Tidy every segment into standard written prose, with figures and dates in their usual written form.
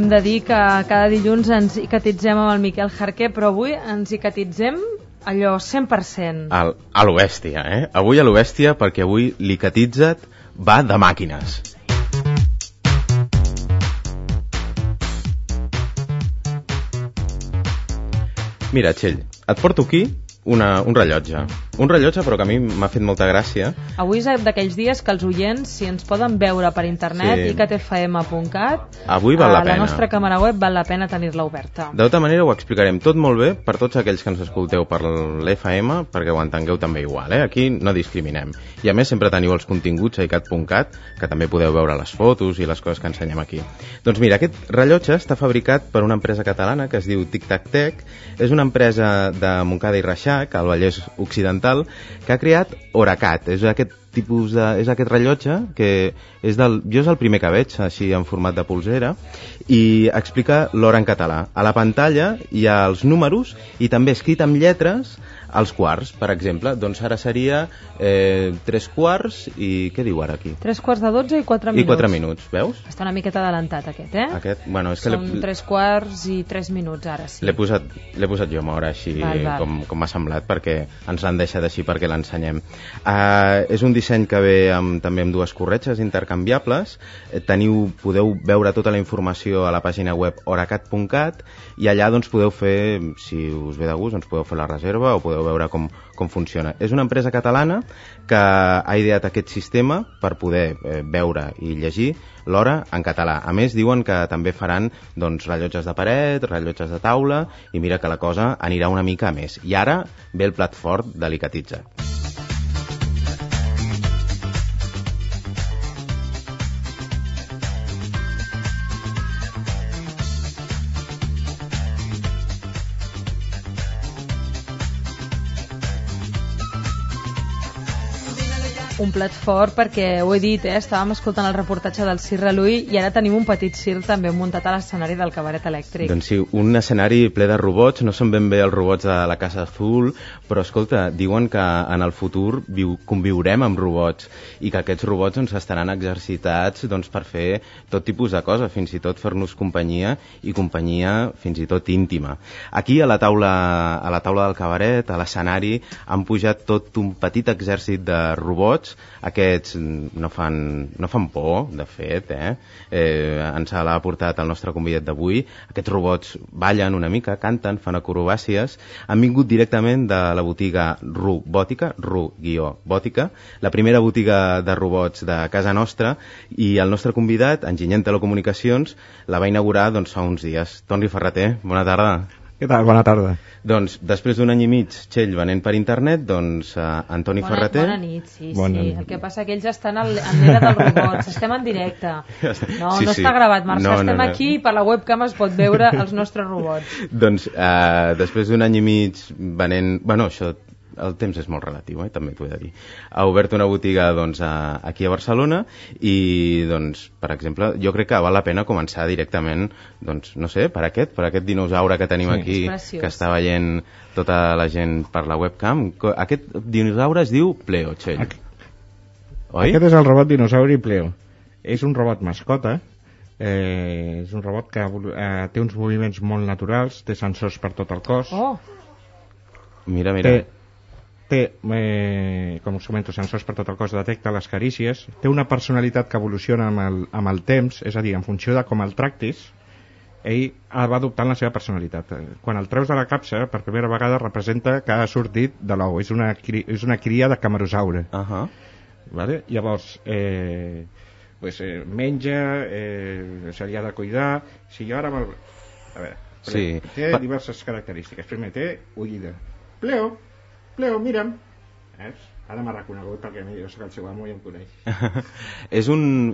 hem de dir que cada dilluns ens icatitzem amb el Miquel Jarquer, però avui ens icatitzem allò 100%. A lo bèstia, Avui a lo bèstia, perquè avui l'Icatitza't va de màquines. Mira, Txell, et porto aquí un rellotge. Un rellotge, però que a mi m'ha fet molta gràcia. Avui és d'aquells dies que els oients, si ens poden veure per internet, icatfm.cat, avui val la pena. La nostra càmera web val la pena tenir-la oberta. De tota manera ho explicarem tot molt bé per tots aquells que ens escolteu per l'FM, perquè ho entengueu també igual, Aquí no discriminem. I a més sempre teniu els continguts a icat.cat, que també podeu veure les fotos i les coses que ensenyem aquí. Doncs mira, aquest rellotge està fabricat per una empresa catalana que es diu Tic Tac Tech. És una empresa de Montcada i Reixac, al Vallès Occidental, que ha creat Oracat. És aquest rellotge que jo és el primer que veig així en format de polsera, i explica l'hora en català. A la pantalla hi ha els números i també escrit amb lletres els quarts, per exemple. Doncs ara seria 3 quarts i què diu ara aquí? 3 quarts de 12 i 4 minuts. I 4 minuts, veus? Està una miqueta adelantat aquest, Aquest, bueno, és que són 3 quarts i 3 minuts ara, sí. L'he posat jo amb hora així, val. Com m'ha semblat, perquè ens l'han deixat així perquè l'ensenyem. És un disseny que ve també amb 2 corretges intercanviables. Podeu veure tota la informació a la pàgina web oracat.cat i allà doncs podeu fer, si us ve de gust, doncs podeu fer la reserva o podeu veure com funciona. És una empresa catalana que ha ideat aquest sistema per poder veure i llegir l'hora en català. A més, diuen que també faran rellotges de paret, rellotges de taula, i mira que la cosa anirà una mica a més. I ara ve el plat fort de l'Icatitza't. Un plat fort perquè, ho he dit, estàvem escoltant el reportatge del Cirre Lui i ara tenim un petit circ també muntat a l'escenari del Cabaret Elèctric. Doncs sí, un escenari ple de robots. No són ben bé els robots de la Casa Azul, però escolta, diuen que en el futur conviurem amb robots i que aquests robots estaran exercitats per fer tot tipus de coses, fins i tot fer-nos companyia, i companyia fins i tot íntima. Aquí a la taula del cabaret, a l'escenari, han pujat tot un petit exèrcit de robots. Aquests no fan por, de fet, ens l'ha portat el nostre convidat d'avui. Aquests robots ballen una mica, canten, fan acrobàcies. Han vingut directament de la botiga Robòtica, Ru-Bòtica, la primera botiga de robots de casa nostra, i el nostre convidat, enginyer en telecomunicacions, la va inaugurar fa uns dies. Toni Ferreter, bona tarda. Què tal? Bona tarda. Doncs, després d'un any i mig, Txell, venent per internet, Antoni Ferreter... Bona nit, sí. El que passa que ells estan en l'era dels robots. Estem en directe. No està gravat, Marc. Estem aquí i per la webcam es pot veure els nostres robots. Doncs, després d'un any i mig venent... Bueno, això... El temps és molt relatiu, també t'ho he de dir. Ha obert una botiga aquí a Barcelona i, per exemple, jo crec que val la pena començar directament, no sé, per aquest dinosaure que tenim aquí, que està veient tota la gent per la webcam. Aquest dinosaure es diu Pleo, Txell. Oi? Aquest és el robot dinosauri Pleo. És un robot mascota. És un robot que té uns moviments molt naturals, té sensors per tot el cos. Mira. Té, com us comento, sensors per tot el cos, detecta les carícies, té una personalitat que evoluciona amb el temps, és a dir, en funció de com el tractis, ell va adoptant la seva personalitat. Quan el treus de la capsa, per primera vegada representa que ha sortit de l'ou, és una cria de camerosaure. Vale? Llavors, menja, se li ha de cuidar. Si jo ara... A veure, té diverses característiques. Primer, té oïda. Pleo, mira'm. Ara m'ha reconegut perquè jo soc el seu amo i em coneix.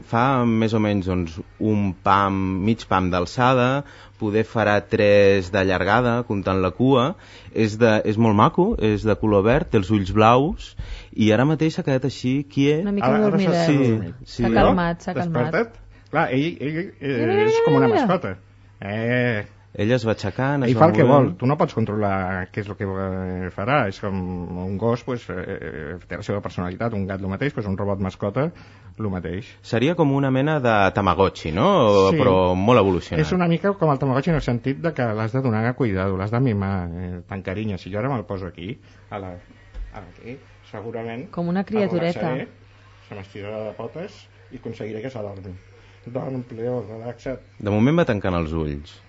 Fa més o menys un pam, mig pam d'alçada, poder farà 3 de llargada, comptant la cua. És molt maco, és de color verd, té els ulls blaus, i ara mateix s'ha quedat així quiet. Una mica dormidet. S'ha calmat. Desperta't? Clar, ell és com una mascota. Ell es va aixecant, ell fa el que vol, tu no pots controlar què és el que farà, és com un gos té la seva personalitat, un gat el mateix, un robot mascota el mateix. Seria com una mena de Tamagotchi, no? Sí. Però molt evolucionat. És una mica com el Tamagotchi en el sentit de que l'has de donar cuidado, l'has de mimar, t'encarinya. Si jo ara me'l poso aquí, aquí, segurament com una criatureta se m'estirarà de potes i aconseguiré que s'adormi. Dorm, Pleo, relaxa't. De moment va tancant els ulls.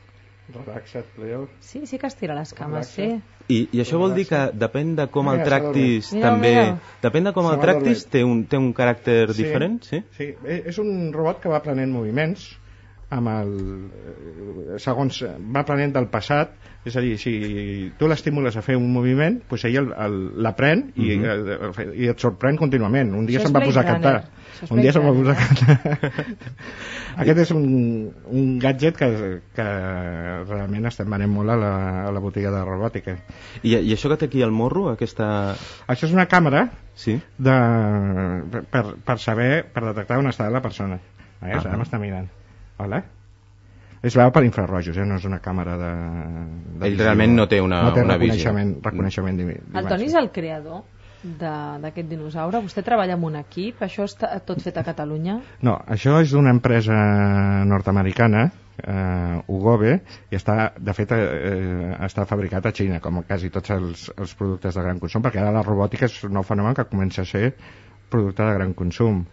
Relaxa't, Pleo. Sí que estira les cames, sí. I això vol dir que depèn de com el tractis també... Depèn de com el tractis té un caràcter diferent, sí? Sí, és un robot que va aprenent moviments segons va aprenent del passat, és a dir, si tu l'estimules a fer un moviment, doncs ell l'aprèn i et sorprèn contínuament. Un dia se'n va posar a cantar. Aquest és un gadget que realment estem venent molt a la botiga de robòtica. I això que té aquí al morro? Això és una càmera sí? per detectar on està la persona. Ara m'està mirant. Hola? Es veu per infrarrojos, no és una càmera de ell realment no té una visió. Reconeixement d'imatge. El Toni és el creador d'aquest dinosaure. Vostè treballa en un equip? Això està tot fet a Catalunya? No, això és d'una empresa nord-americana, Ugobe, i de fet està fabricat a Xina, com quasi tots els productes de gran consum, perquè ara la robòtica és un nou fenomen que comença a ser producte de gran consum.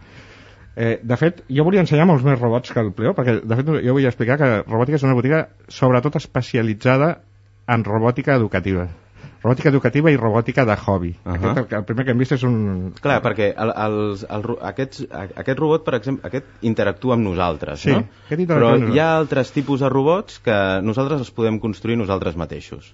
De fet, jo volia ensenyar molts més robots que el Pleo, perquè de fet jo vull explicar que robòtica és una botiga sobretot especialitzada en robòtica educativa i robòtica de hobby. El primer que hem vist és un... Clar, perquè aquest robot, per exemple, aquest interactua amb nosaltres, sí, no? Però hi ha altres tipus de robots que nosaltres els podem construir nosaltres mateixos.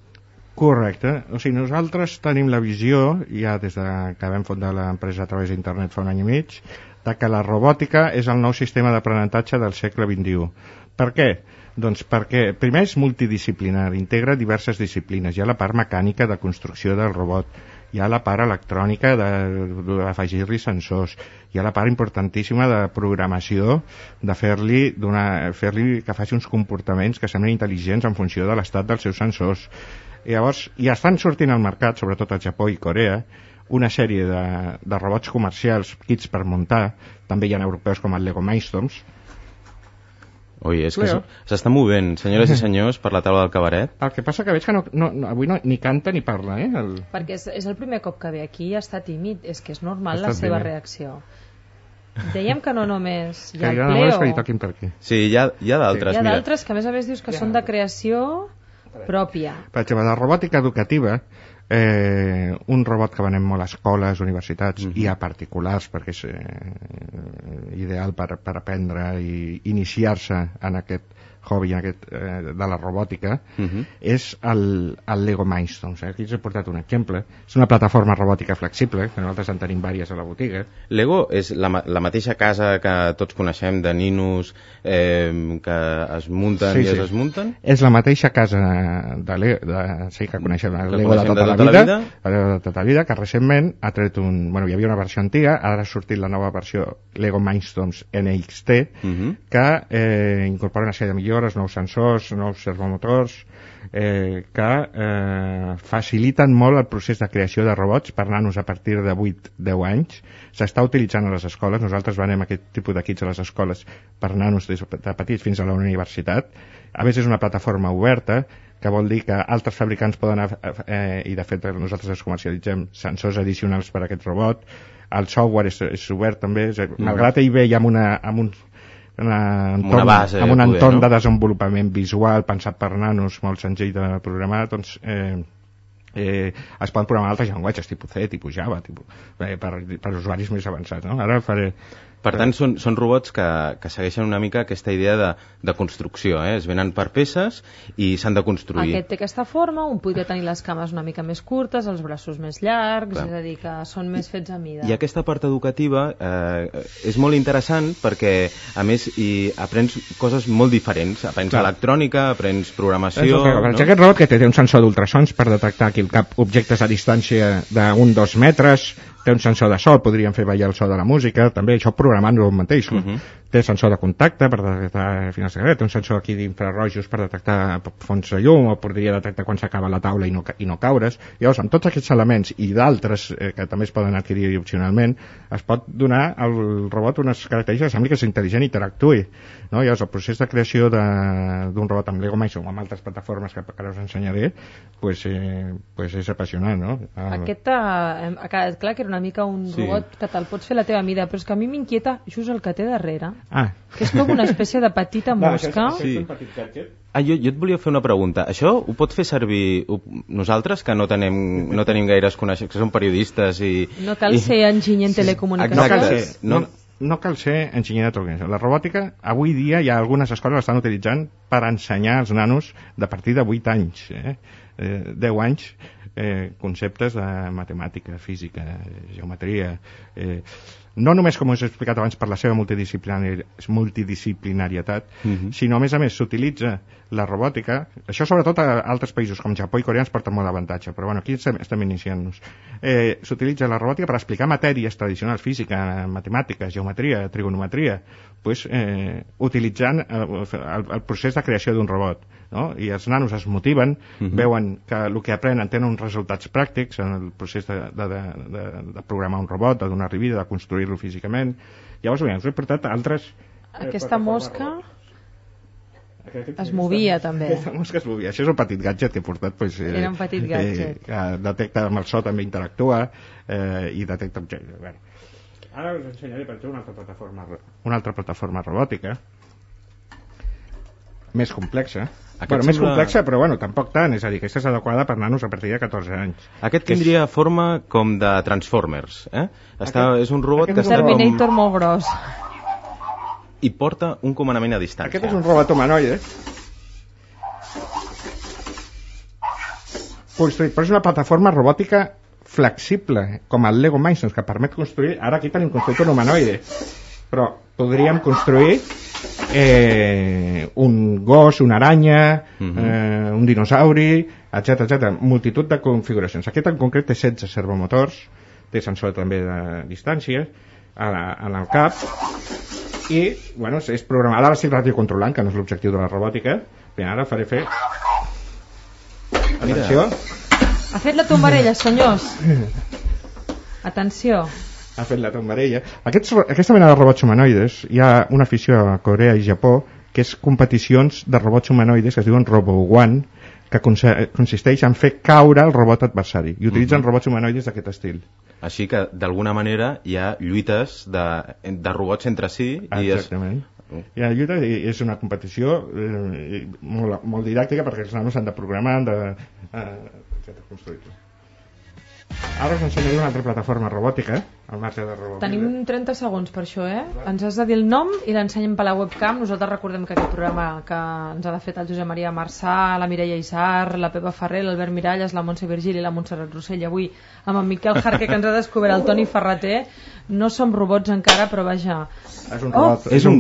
Correcte, o sigui, nosaltres tenim la visió, ja des que vam fundar l'empresa a través d'internet fa un any i mig, de que la robòtica és el nou sistema d'aprenentatge del segle XXI. Per què? Doncs perquè primer és multidisciplinar, integra diverses disciplines. Hi ha la part mecànica de construcció del robot, hi ha la part electrònica d'afegir-li sensors, hi ha la part importantíssima de programació, de fer-li que faci uns comportaments que semblin intel·ligents en funció de l'estat dels seus sensors. I llavors ja estan sortint al mercat, sobretot al Japó i Corea, una sèrie de robots comercials, kits per muntar, també hi ha europeus com el Lego Mindstorms. Ui, és que s'està movent, senyores i senyors, per la taula del cabaret. El que passa que veig que avui ni canta ni parla, Perquè és el primer cop que ve aquí i està tímid, és que és normal la seva reacció. Dèiem que no només hi ha el Pleo. Que li toquin per aquí. Sí, hi ha d'altres. Hi ha d'altres que a més dius que són de creació pròpia. Per exemple, la robòtica educativa, un robot que venem molt a escoles, universitats i a particulars, perquè és ideal per aprendre i iniciar-se en aquest hobby de la robòtica, és el Lego Mindstorms. Aquí us he portat un exemple. És una plataforma robòtica flexible, que nosaltres en tenim diverses a la botiga. Lego és la mateixa casa que tots coneixem de ninos que es munten i es desmunten? És la mateixa casa que coneixem, el Lego de tota la vida, que recentment ha tret hi havia una versió antiga, ara ha sortit la nova versió Lego Mindstorms NXT, que incorpora una sèrie de millores, nous sensors, nous servomotors, que faciliten molt el procés de creació de robots per nanos a partir de 8-10 anys. S'està utilitzant a les escoles, nosaltres venem aquest tipus de kits a les escoles per nanos des de petits fins a la universitat. A més, és una plataforma oberta, que vol dir que altres fabricants poden, i de fet nosaltres els comercialitzem, sensors addicionals per a aquest robot. El software és obert també, malgrat ell ve ja amb un entorn de desenvolupament visual pensat per nanos, molt senzill de programar, doncs es poden programar altres llenguatges, tipus C, tipus Java, per usuaris més avançats, no? Ara faré... Per tant, són robots que segueixen una mica aquesta idea de construcció, es venen per peces i s'han de construir. Aquest té aquesta forma, un podria tenir les cames una mica més curtes, els braços més llargs, és a dir, que són més fets a mida. I aquesta part educativa és molt interessant perquè, a més, hi aprens coses molt diferents. Aprens electrònica, aprens programació... Aquest robot que té un sensor d'ultrasons per detectar aquí al cap objectes a distància d'1-2 metres, té un sensor de so, podríem fer ballar el so de la música, també això programant-lo mateix. Té sensor de contacte per detectar finals de secret, té un sensor aquí d'infrarrojos per detectar fonts de llum, o podria detectar quan s'acaba la taula i no caure's. Llavors, amb tots aquests elements i d'altres que també es poden adquirir opcionalment, es pot donar al robot unes característiques que sembli que és intel·ligent i interactuï. No? Llavors, el procés de creació d'un robot amb Lego Minds o amb altres plataformes que ara us ensenyaré, pues és apassionant, no? Aquest ha quedat clar que era una mica un robot que te'l pots fer a la teva mida, però és que a mi m'inquieta just el que té darrere, que és com una espècie de petita mosca. Jo et volia fer una pregunta. Això ho pot fer servir nosaltres, que no tenim gaires coneixements, que som periodistes i... No cal ser enginyer en telecomunicacions. No cal ser enginyer de telecomunicacions. La robòtica, avui dia, hi ha algunes escoles que l'estan utilitzant per ensenyar als nanos de partir de 8 anys, 10 anys, conceptes de matemàtica, física, geometria... no només, com us he explicat abans, per la seva multidisciplinarietat, sinó, a més, s'utilitza la robòtica, això sobretot a altres països com Japó i Corea ens porta molt d'avantatge, però aquí estem iniciant-nos. S'utilitza la robòtica per explicar matèries tradicionals, física, matemàtica, geometria, trigonometria, utilitzant el procés de creació d'un robot. I els nanos es motiven, veuen que el que aprenen tenen uns resultats pràctics en el procés de programar un robot, de donar-li vida, de construir-lo físicament. Llavors, us he portat altres... Aquesta mosca es movia, també. Aquesta mosca es movia. Això és un petit gadget que he portat. Era un petit gadget. Que detecta amb el so, també interactua i detecta objectes. Ara us ensenyaré, per exemple, una altra plataforma robòtica més complexa. Més complexa, però tampoc tant. És a dir, aquesta és adequada per nanos a partir de 14 anys. Aquest tindria forma com de Transformers. És un robot que està Terminator molt gros. I porta un comandament a distància. Aquest és un robot humanoide construït, però és una plataforma robòtica flexible, com el Lego Minds, que permet construir... Ara aquí tenim construït un humanoide, però podríem construir un gos, una aranya, un dinosauri, etc. Multitud de configuracions. Aquest en concret té 16 servomotors, té sensor també de distància en el cap i és programada. Ara estic radiocontrolant, que no és l'objectiu de la robòtica. Ara faré fer... Atenció. Ha fet la tombarella, senyors. Atenció. Ha fet la tombarella. Aquesta mena de robots humanoides, hi ha una afició a Corea i Japó que és competicions de robots humanoides que es diuen Robo-One, que consisteix en fer caure el robot adversari, i utilitzen robots humanoides d'aquest estil. Així que, d'alguna manera, hi ha lluites de robots entre si. Exactament. Hi ha lluita i és una competició molt didàctica, perquè els nanos s'han de programar, han de construir-ho. Ara us ensenyaré una altra plataforma robòtica, al marge de robòtica. Tenim 30 segons per això, Ens has de dir el nom i l'ensenyem per la webcam. Nosaltres recordem que aquest programa que ens ha fet el Josep Maria Marçà, la Mireia Isar, la Pepa Ferrer, l'Albert Miralles, la Montse Virgili i la Montserrat Rossell. Avui amb en Miquel Jarque, que ens ha descobert el Toni Ferreter. No som robots encara, però vaja. És un gos. És un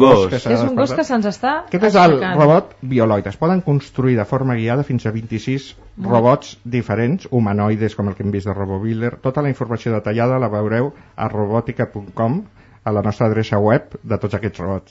gos que se'ns està Aquest és el robot bioloid. Es poden construir de forma guiada fins a 26 robots diferents, humanoides, com el que hem vist de RoboBuilder. Tota la informació detallada la veureu a robotica.com, a la nostra adreça web de tots aquests robots.